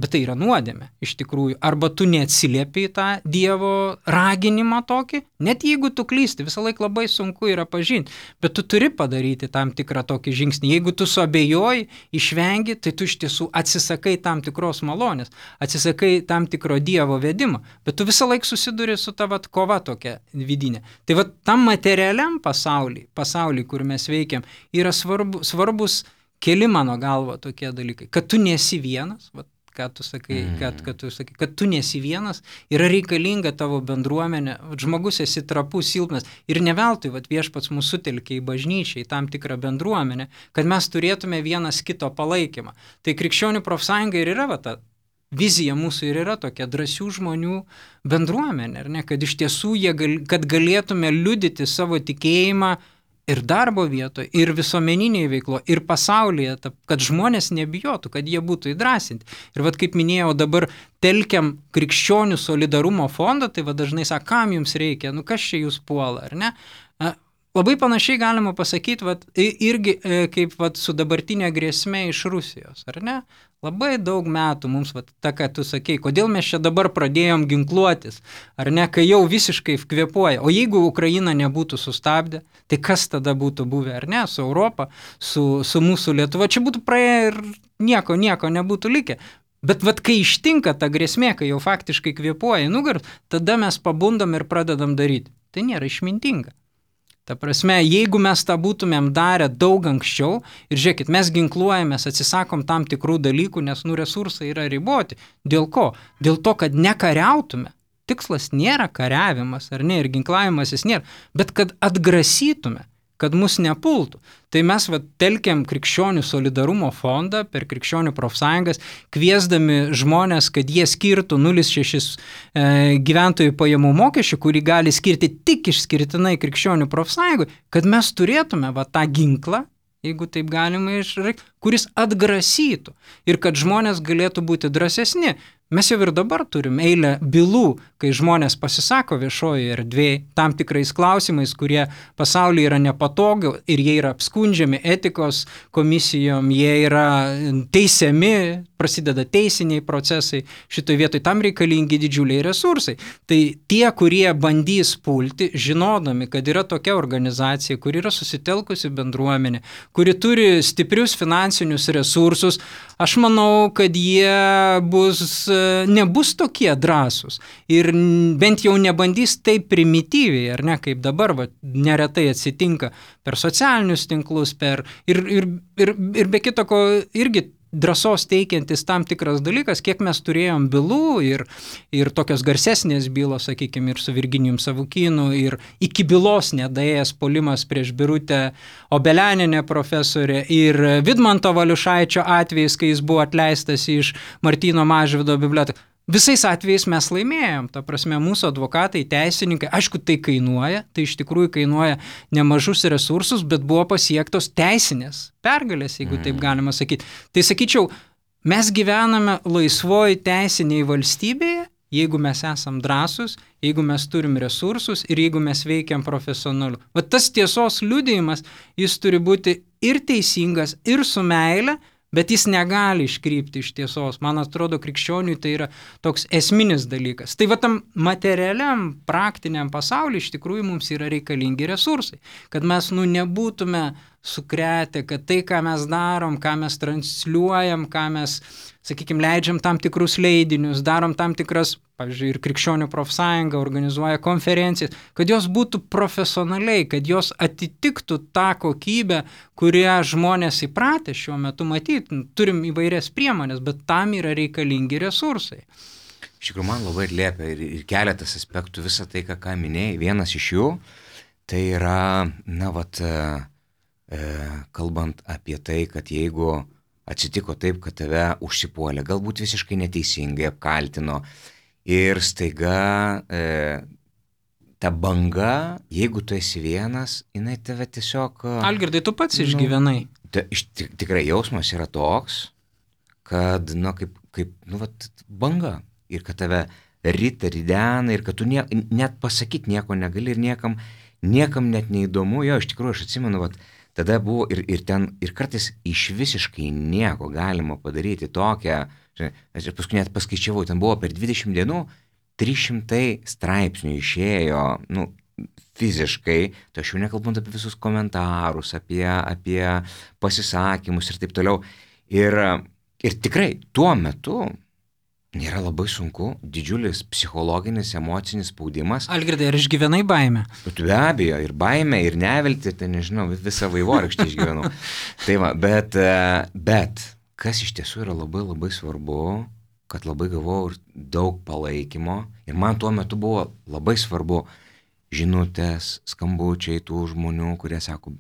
bet tai yra nuodėmė, iš tikrųjų, arba tu neatsiliepi į tą Dievo raginimą tokį, net jeigu tu klysti, visą laiką labai sunku yra pažinti, bet tu turi padaryti tam tikrą tokį žingsnį. Jeigu tu suabejoji, išvengi, tai tu iš tiesų atsisakai tam tikros malonės, atsisakai tam tikro Dievo vedimo, bet tu visą laiką susiduri su ta kova tokia vidinė. Tai tam materialiam pasauly, kur mes veikiam, yra svarbus keli mano galva tokie dalykai, kad tu nesi vienas, kad tu nesi vienas, yra reikalinga tavo bendruomenė, žmogus esi trapus, silpnas ir ne veltui Viešpats mūsų sutelkė į bažnyčią, į tam tikrą bendruomenę, kad mes turėtume vienas kito palaikymą. Tai krikščionių profsąjunga ir yra ta vizija mūsų ir yra tokia drąsių žmonių bendruomenė, ar ne, kad iš tiesų kad galėtume liudyti savo tikėjimą ir darbo vietoje, ir visuomeninėje veikloje, ir pasaulyje, kad žmonės nebijotų, kad jie būtų įdrasinti. Ir kaip minėjau, dabar telkiam krikščionių solidarumo fondą, tai dažnai sako, kam jums reikia, kas čia jūs puola, ar ne? Labai panašiai galima pasakyti, irgi kaip su dabartinė grėsmė iš Rusijos, ar ne? Labai daug metų mums, ką tu sakei, kodėl mes čia dabar pradėjom ginkluotis, ar ne, kai jau visiškai kvėpuoja. O jeigu Ukraina nebūtų sustabdę, tai kas tada būtų buvę, ar ne, su Europa, su mūsų Lietuva, čia būtų praėję ir nieko nebūtų likę. Bet kai ištinka ta grėsmė, kai jau faktiškai kvėpuoja nugar, tada mes pabundam ir pradedam daryti. Tai nėra išmintinga. Ta prasme, jeigu mes tą būtumėm darę daug anksčiau ir žiūrėkit, mes ginkluojamės, atsisakom tam tikrų dalykų, nes resursai yra riboti. Dėl ko? Dėl to, kad nekariautume. Tikslas nėra kariavimas, ar ne, ir ginklavimasis nėra, bet kad atgrasytume, kad mus nepultų. Tai mes telkiam krikščionių solidarumo fondą per krikščionių profsąjungas, kviesdami žmonės, kad jie skirtų 0,6 gyventojų pajamų mokesčių, kurį gali skirti tik išskirtinai krikščionių profsąjungui, kad mes turėtume tą ginklą, jeigu taip galima išreikšti, kuris atgrasytų ir kad žmonės galėtų būti drąsesni. Mes jau ir dabar turim eilę bylų, kai žmonės pasisako viešojoje erdvėje tam tikrais klausimais, kurie pasaulyje yra nepatogu ir jie yra apskundžiami etikos komisijom, jie yra teisiami, prasideda teisiniai procesai, šitoje vietoje tam reikalingi didžiuliai resursai. Tai tie, kurie bandys pulti, žinodami, kad yra tokia organizacija, kuri yra susitelkusi bendruomenė, kuri turi stiprius finansinius resursus, aš manau, kad jie nebus tokie drąsūs ir bent jau nebandys taip primityviai, ar ne, kaip dabar neretai atsitinka per socialinius tinklus, ir be kito ko irgi drąsos teikiantis tam tikras dalykas, kiek mes turėjom bylų ir tokios garsesnės bylos, sakykime, ir su Virginijum Savukynu, ir iki bylos nedaėjęs puolimas prieš Birutę Obelianinę profesorę, ir Vidmanto Valiušaičio atvejais, kai jis buvo atleistas iš Martyno Mažvydo bibliotekos. Visais atvejais mes laimėjom, ta prasme, mūsų advokatai, teisininkai, aišku, tai kainuoja, tai iš tikrųjų kainuoja nemažus resursus, bet buvo pasiektos teisinės pergalės, jeigu taip galima sakyti. Tai sakyčiau, mes gyvename laisvoji teisiniai valstybėje, jeigu mes esam drąsus, jeigu mes turim resursus ir jeigu mes veikiam profesionaliu. Va tas tiesos liudijimas, jis turi būti ir teisingas, ir su meile, bet jis negali iškrypti iš tiesos. Man atrodo, krikščioniui tai yra toks esminis dalykas. Tai va tam materialiam, praktiniam pasauliu iš tikrųjų mums yra reikalingi resursai. Kad mes nebūtume sukretę, kad tai, ką mes darom, ką mes transliuojam, ką mes, sakykime, leidžiam tam tikrus leidinius, darom tam tikras, pavyzdžiui, ir Krikščionių profsąjunga organizuoja konferencijas, kad jos būtų profesionaliai, kad jos atitiktų tą kokybę, kurią žmonės įpratę šiuo metu matyti. Turim įvairias priemonės, bet tam yra reikalingi resursai. Iš tikrųjų, man labai atliepia ir keletas aspektų visą tai, ką minėjai. Vienas iš jų, tai yra, kalbant apie tai, kad jeigu atsitiko taip, kad tave užsipuolė, galbūt visiškai neteisingai apkaltino ir staiga ta banga, jeigu tu esi vienas, jinai tave tiesiog... Algirdai, tu pats išgyvenai. Tikrai jausmas yra toks, kad, kaip banga ir kad tave rita, ridena ir kad tu net pasakyti nieko negali ir niekam net neįdomu. Jo, iš tikrųjų, aš atsimenu, tada buvo ir ten, ir kartais iš visiškai nieko galima padaryti tokią, aš paskui net paskaičiavau, ten buvo per 20 dienų 300 straipsnių išėjo, fiziškai, tai aš jau nekalbant apie visus komentarus, apie pasisakymus ir taip toliau. Ir tikrai tuo metu nėra labai sunku, didžiulis psichologinis, emocinis spaudimas. Algirdai, ar išgyvenai baimę? Be abejo, ir baimę, ir neviltį, tai nežinau, visą vaivorykštį išgyvenau. Tai va, bet kas iš tiesų yra labai labai svarbu, kad labai gavau ir daug palaikymo. Ir man tuo metu buvo labai svarbu žinutės, skambučiai tų žmonių, kurie sako,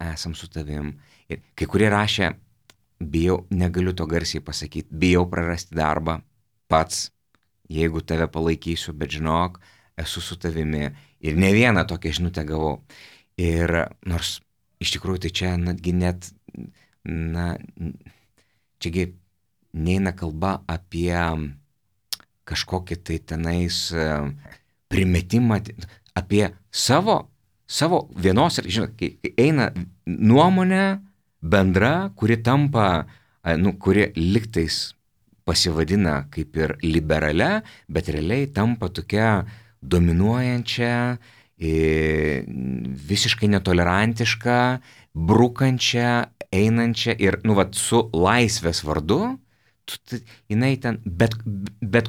esam su tavim. Ir kai kurie rašė, bijau, negaliu to garsiai pasakyti, bijau prarasti darbą pats, jeigu tave palaikysiu, bet žinok, esu su tavimi. Ir ne vieną tokią žinutę gavau. Ir nors iš tikrųjų tai čia netgi čiagi neina kalba apie kažkokį tai tenais primetimą, apie savo vienos, žinot, kai eina nuomonė bendra, kuri tampa, kuri liktais pasivadina kaip ir liberalia, bet realiai tampa tokia dominuojančia, visiškai netolerantiška, brukančia, einančia ir, su laisvės vardu, jinai ten, bet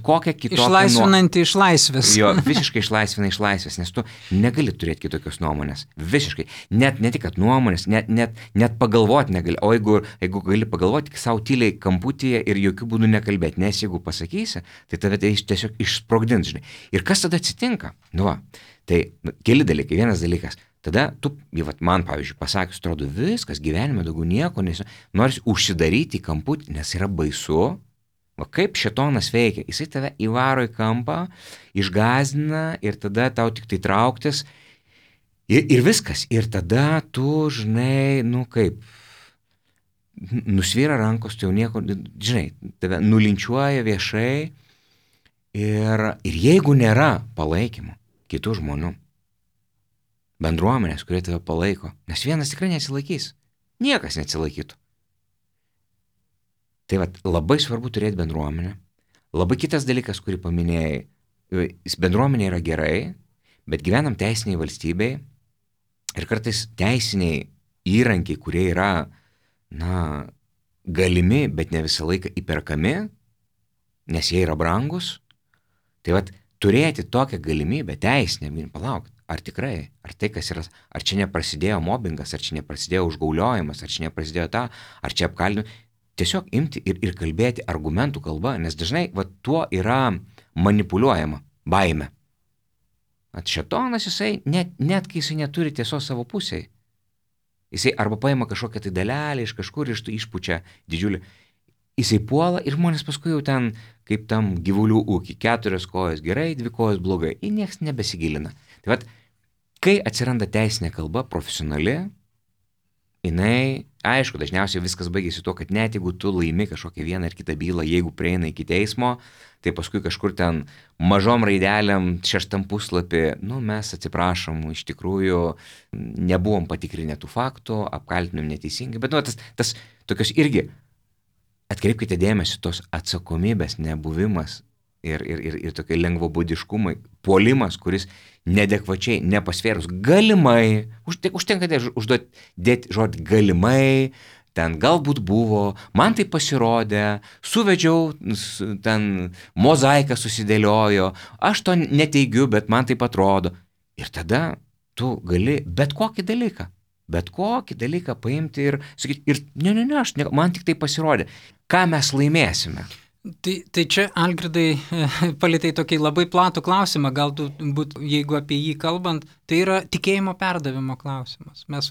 kokią kitokią... Išlaisvinanti iš laisvės. Jo, visiškai išlaisvina iš laisvės, nes tu negali turėti kitokios nuomonės. Visiškai. Ne tik, kad nuomonės, net pagalvoti negali. O jeigu gali pagalvoti, tik savo tyliai kamputyje ir jokių būdų nekalbėti. Nes jeigu pasakysi, tai tave tai tiesiog išsprogdins, žinai. Ir kas tada atsitinka? Tai keli dalykai. Vienas dalykas. Tada tu, man pavyzdžiui, pasakius, atrodo, viskas, gyvenime daugiau nieko, nors užsidaryti į kamputį, nes yra baisu. Kaip šėtonas veikia, jisai tave įvaro į kampą, išgąsdina ir tada tau tik tai trauktis ir viskas. Ir tada tu, žinai, nusvyra rankos, tu jau nieko, žinai, tave nulinčiuoja viešai ir jeigu nėra palaikymo kitų žmonių, bendruomenės, kurie tave palaiko, nes vienas tikrai neatsilaikys, niekas neatsilaikytų. Tai labai svarbu turėti bendruomenę. Labai kitas dalykas, kurį paminėjai, bendruomenė yra gerai, bet gyvenam teisiniai valstybei ir kartais teisiniai įrankiai, kurie yra, galimi, bet ne visą laiką įperkami, nes jie yra brangus. Tai turėti tokią galimybę teisinę, palauk, ar tikrai, ar tai, kas yra, ar čia neprasidėjo mobbingas, ar čia neprasidėjo užgauliojimas, ar čia neprasidėjo ar čia apkaltinimas. tiesiog imti ir kalbėti argumentų kalba, nes dažnai tuo yra manipuliuojama baime. Šėtonas jisai, net kai jisai neturi tiesos savo pusėje, jisai arba paima kažkokią tai dalelę iš kažkur ir išpučia didžiulį, jisai puola ir žmonės paskui jau ten, kaip tam gyvulių ūkį, 4 kojos gerai, 2 kojos blogai, ir nieks nebesigilina. Tai kai atsiranda teisinė kalba, profesionali, jinai, aišku, dažniausiai viskas baigėsi tuo, kad net jeigu tu laimi kažkokią vieną ar kitą bylą, jeigu prieina iki teismo, tai paskui kažkur ten mažom raidelėm 6 puslapį, mes atsiprašom, iš tikrųjų nebuvom patikrinę tų faktų, apkaltinom neteisingai, bet tas tokios irgi, atkreipkite dėmesį, tos atsakomybės nebuvimas ir tokie lengvabūdiškumai, puolimas, kuris nedekvačiai, nepasvėrus, galimai, užtenka dėti žodį galimai, ten galbūt buvo, man tai pasirodė, suvedžiau, ten mozaika susidėliojo, aš to neteigiu, bet man taip atrodo. Ir tada tu gali bet kokį dalyką paimti ir sakyti, man tik tai pasirodė, ką mes laimėsime. Tai čia, Algirdai, palietai tokį labai platų klausimą, galbūt, jeigu apie jį kalbant, tai yra tikėjimo perdavimo klausimas. Mes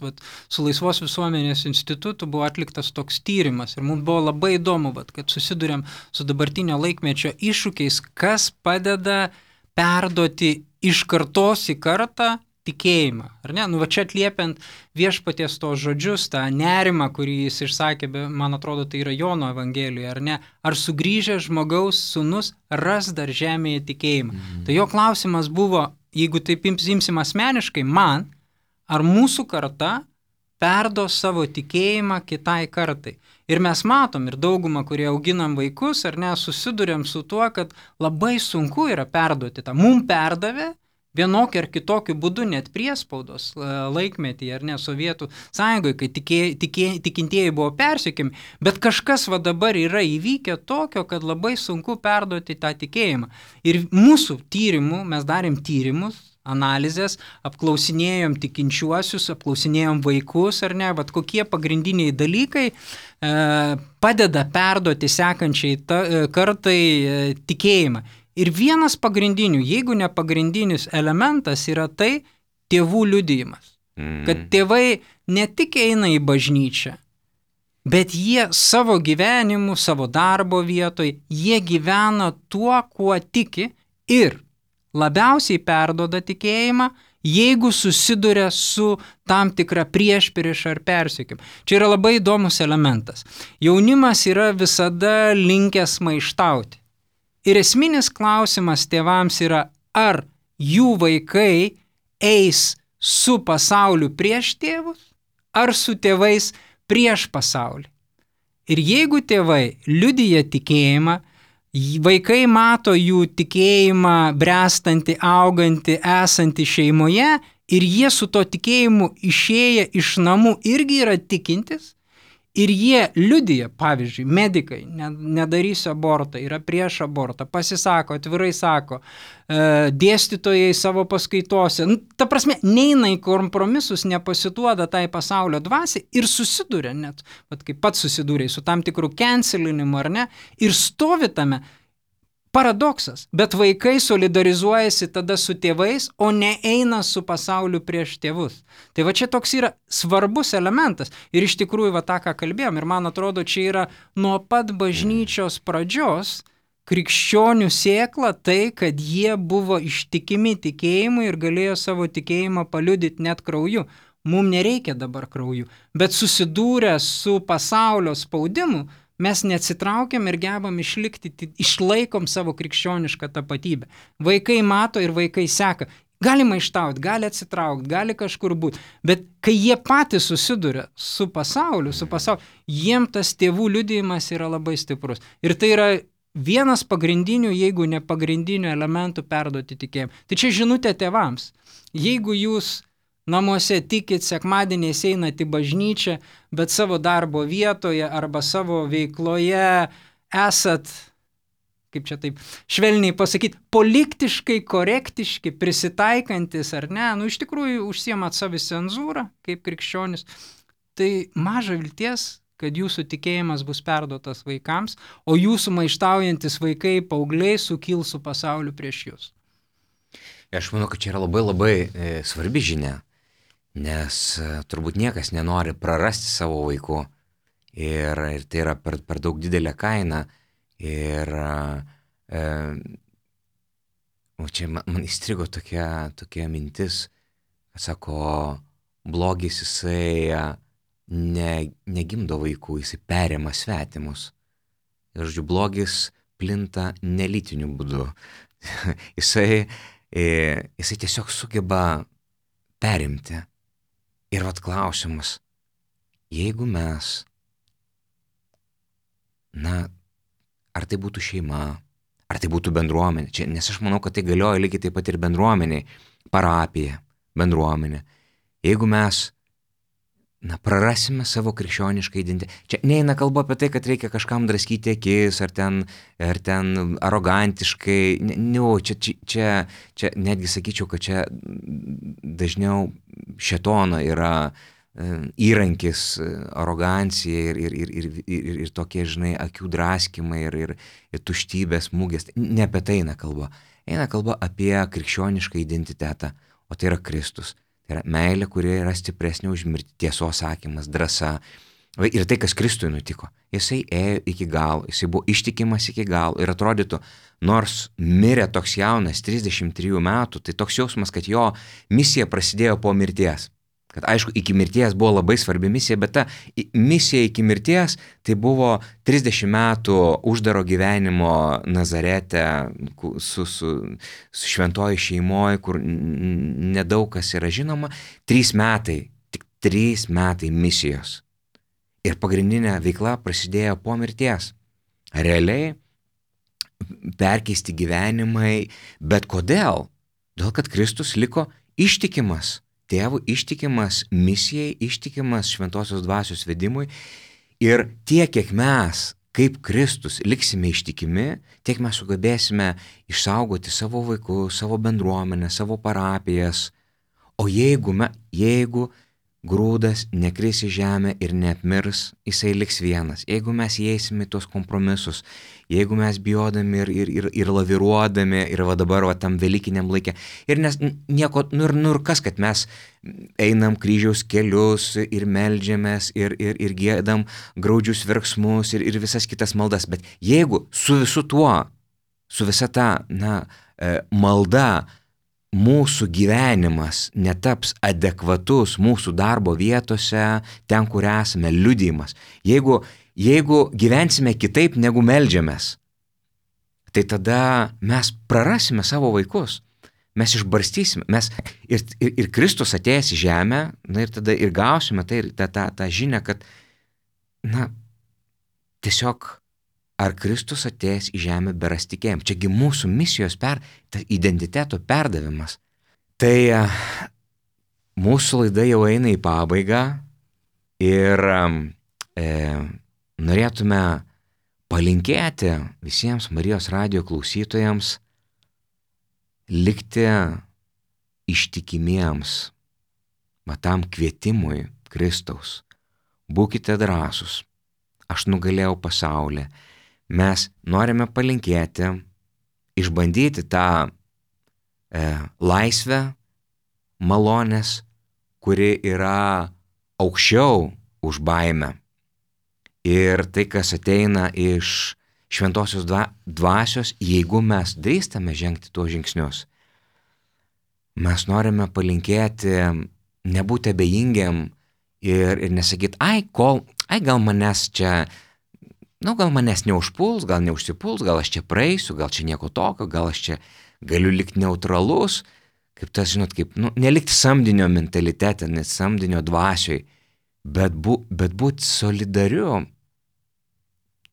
su Laisvos visuomenės institutu buvo atliktas toks tyrimas ir mums buvo labai įdomu, kad susidurėm su dabartinio laikmečio iššūkiais, kas padeda perduoti iš kartos į kartą tikėjimą, ar ne? Čia atliepiant Viešpaties tos žodžius, tą nerimą, kurį jis išsakė, man atrodo, tai yra Jono Evangelijoje, ar ne? Ar sugrįžęs žmogaus sūnus ras dar žemėje tikėjimą? Tai jo klausimas buvo, jeigu taip imsim asmeniškai, ar mūsų karta perduos savo tikėjimą kitai kartai? Ir mes matom, ir daugumą, kurie auginam vaikus, ar ne, susidurėm su tuo, kad labai sunku yra perduoti tą. Mum perdavė vienokiu ar kitokiu būdu, net priespaudos laikmetyje, ar ne, Sovietų sąjungoje, kai tikintieji buvo persekiami, bet kažkas dabar yra įvykę tokio, kad labai sunku perduoti tą tikėjimą. Ir mūsų tyrimų, mes darėm tyrimus, analizės, apklausinėjom tikinčiuosius, apklausinėjom vaikus, ar ne, kokie pagrindiniai dalykai padeda perduoti sekančiai kartai tikėjimą. Ir vienas pagrindinių, jeigu ne pagrindinis elementas yra tai tėvų liudijimas. Kad tėvai ne tik eina į bažnyčią, bet jie savo gyvenimu, savo darbo vietoje, jie gyvena tuo, kuo tiki ir labiausiai perduoda tikėjimą, jeigu susiduria su tam tikra priešprieša ar persekiojimu. Čia yra labai įdomus elementas. Jaunimas yra visada linkęs maištauti. Ir esminis klausimas tėvams yra, ar jų vaikai eis su pasauliu prieš tėvus, ar su tėvais prieš pasaulį. Ir jeigu tėvai liudija tikėjimą, vaikai mato jų tikėjimą bręstantį, augantį, esantį šeimoje ir jie su to tikėjimu išėję iš namų irgi yra tikintis, ir jie liudija, pavyzdžiui, medikai, nedarysiu abortą, yra prieš abortą, pasisako, atvirai sako, dėstytojai savo paskaitose, ta prasme, neina į kompromisus, nepasiduoda tai pasaulio dvasiai ir susiduria net, kaip pats susidūrė su tam tikrų cancelinimu, ar ne, ir stovi tame. Paradoksas, bet vaikai solidarizuojasi tada su tėvais, o ne eina su pasauliu prieš tėvus. Tai čia toks yra svarbus elementas ir iš tikrųjų tą, ką kalbėjom, ir man atrodo, čia yra nuo pat bažnyčios pradžios krikščionių sėkla tai, kad jie buvo ištikimi tikėjimui ir galėjo savo tikėjimą paliudyti net krauju. Mums nereikia dabar krauju, bet susidūrę su pasaulio spaudimu, mes neatsitraukiam ir gebam išlikti, išlaikom savo krikščionišką tapatybę. Vaikai mato ir vaikai seka. Gali maištauti, gali atsitraukti, gali kažkur būti. Bet kai jie patys susiduria su pasauliu, jiem tas tėvų liudijimas yra labai stiprus. Ir tai yra vienas pagrindinių, jeigu ne pagrindinių elementų perduoti tikėjimą. Tai čia žinutė tėvams. Jeigu jūs namuose tikit, sekmadieniais einat į bažnyčią, bet savo darbo vietoje arba savo veikloje esat, kaip čia taip švelniai pasakyti, politikškai korektiški, prisitaikantis ar ne, iš tikrųjų užsiemat savicenzūrą kaip krikščionis, tai maža vilties, kad jūsų tikėjimas bus perduotas vaikams, o jūsų maištaujantis vaikai, paaugliai sukils su pasauliu prieš jūs. Aš manau, kad čia yra labai labai svarbi žinia, nes turbūt niekas nenori prarasti savo vaikų ir tai yra per daug didelė kaina ir čia man įstrigo tokia mintis, kad sako, blogis jisai negimdo vaikų, jisai perima svetimus. Ir žodžiu, blogis plinta nelytiniu būdu. jisai tiesiog sugeba perimti. Ir vat klausimas, jeigu mes, ar tai būtų šeima, ar tai būtų bendruomenė, nes aš manau, kad tai galioja lygiai taip pat ir bendruomeniai, parapija, bendruomenė. Jeigu mes prarasime savo krikščionišką identitetą, čia neina kalba apie tai, kad reikia kažkam draskyti akis, ar ten arogantiškai, čia netgi sakyčiau, kad čia dažniau šėtono yra įrankis, arogancija ir tokie, žinai, akių draskymai ir tuštybės smūgės. Ne apie tai eina kalba. Eina kalba apie krikščionišką identitetą, o tai yra Kristus. Tai yra meilė, kuri yra stipresnė už mirtį, tiesos sakymas, drąsa. Ir tai, kas Kristui nutiko. Jisai ėjo iki galo, jisai buvo ištikimas iki galo ir atrodytų, nors mirė toks jaunas, 33 metų, tai toks jausmas, kad jo misija prasidėjo po mirties. Kad aišku, iki mirties buvo labai svarbi misija, bet ta misija iki mirties tai buvo 30 metų uždaro gyvenimo Nazarete su šventoji šeimoje, kur nedaug kas yra žinoma, 3 metai, tik 3 metai misijos. Ir pagrindinė veikla prasidėjo po mirties. Realiai perkeisti gyvenimai, bet kodėl? Dėl kad Kristus liko ištikimas. Tėvų ištikimas misijai, ištikimas šventosios dvasios vedimui ir tiek, kiek mes, kaip Kristus, liksime ištikimi, tiek mes sugebėsime išsaugoti savo vaikus, savo bendruomenę, savo parapijas. O jeigu grūdas nekris į žemę ir neapmirs, jisai liks vienas. Jeigu mes įeisime į tuos kompromisus, jeigu mes bijodami ir laviruodami, ir va dabar tam velykiniam laikė, ir nes nieko, ir kas, kad mes einam kryžiaus kelius ir meldžiamės ir giedam graudžius verksmus ir visas kitas maldas, bet jeigu su visu tuo, su visa ta, malda, mūsų gyvenimas netaps adekvatus mūsų darbo vietose, ten, kur esame, liudijimas. Jeigu gyvensime kitaip, negu meldžiamės, tai tada mes prarasime savo vaikus. Mes išbarstysime. Ir Kristus atėjęs į žemę, ir tada ir gausime tą žinią, kad, tiesiog ar Kristus atėjęs į žemę beras tikėjimą. Čiagi mūsų misijos identiteto perdavimas. Tai mūsų laida jau eina į pabaigą ir norėtume palinkėti visiems Marijos radijo klausytojams likti ištikimiems tam kvietimui Kristaus. Būkite drąsūs. Aš nugalėjau pasaulį. Mes norime palinkėti, išbandyti tą laisvę, malonės, kuri yra aukščiau už baimę. Ir tai, kas ateina iš šventosios dvasios, jeigu mes drįstame žengti tuos žingsnius. Mes norime palinkėti nebūti abejingiam ir nesakyti, gal manęs čia, gal manęs neužpuls, gal neužsipuls, gal aš čia praeisiu, gal čia nieko tokio, gal aš čia galiu likti neutralus, kaip tas, nelikti samdinio mentalitete, net samdinio dvasioj, bet būti solidariu,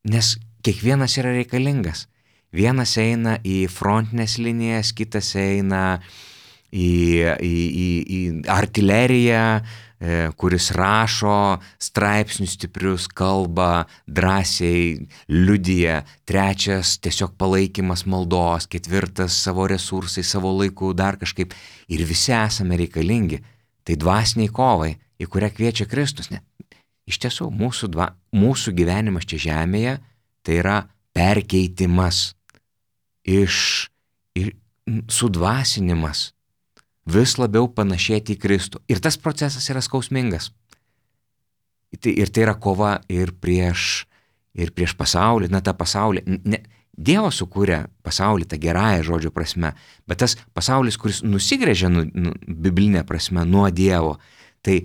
nes kiekvienas yra reikalingas. Vienas eina į frontinės linijas, kitas eina į artileriją, kuris rašo straipsnius stiprius, kalba, drąsiai liudija, 3 tiesiog palaikymas maldos, 4 savo resursai, savo laiku, dar kažkaip. Ir visi esame reikalingi. Tai dvasiniai kovai, į kurią kviečia Kristus. Iš tiesų, mūsų gyvenimas čia žemėje tai yra perkeitimas, sudvasinimas, vis labiau panašėti į Kristų. Ir tas procesas yra skausmingas. Ir tai yra kova ir prieš pasaulį, tą pasaulį. Dievas sukūrė pasaulį tą gerąją žodžio prasme, bet tas pasaulis, kuris nusigręžia biblinė prasme nuo Dievo, tai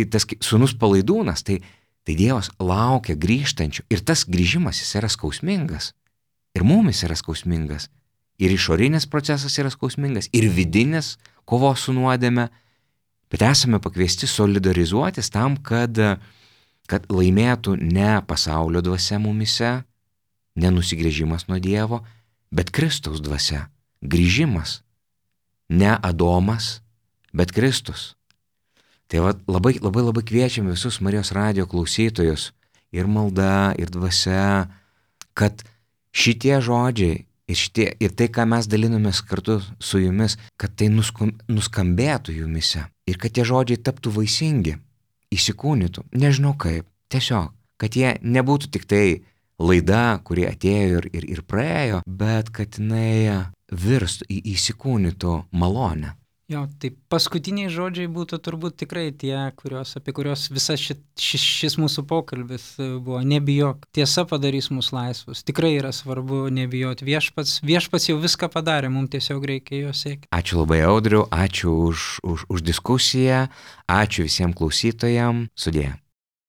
tas sūnus palaidūnas, tai Dievas laukia grįžtančių. Ir tas grįžimas jis yra skausmingas. Ir mumis yra skausmingas. Ir išorinis procesas yra skausmingas, ir vidinis kovos su nuodėme. Bet esame pakviesti solidarizuotis tam, kad laimėtų ne pasaulio dvasia mumise, ne nusigręžimas nuo Dievo, bet Kristaus dvasia, grįžimas. Ne Adomas, bet Kristus. Tai labai kviečiam visus Marijos radijo klausytojus, ir malda, ir dvasia, kad šitie žodžiai ir tai, ką mes dalinomės kartu su jumis, kad tai nuskambėtų jumise ir kad tie žodžiai taptų vaisingi, įsikūnytų, nežinau kaip, tiesiog, kad jie nebūtų tik tai laida, kuri atėjo ir praėjo, bet kad jinai virstų, įsikūnytų malonę. Jo, tai paskutiniai žodžiai būtų turbūt tikrai tie, apie kuriuos visas šis mūsų pokalbis buvo. Nebijok, tiesa padarys mus laisvus. Tikrai yra svarbu nebijoti. Viešpats jau viską padarė, mums tiesiog reikia jo siekti. Ačiū labai, Audriau, ačiū už diskusiją, ačiū visiems klausytojams. Sudie.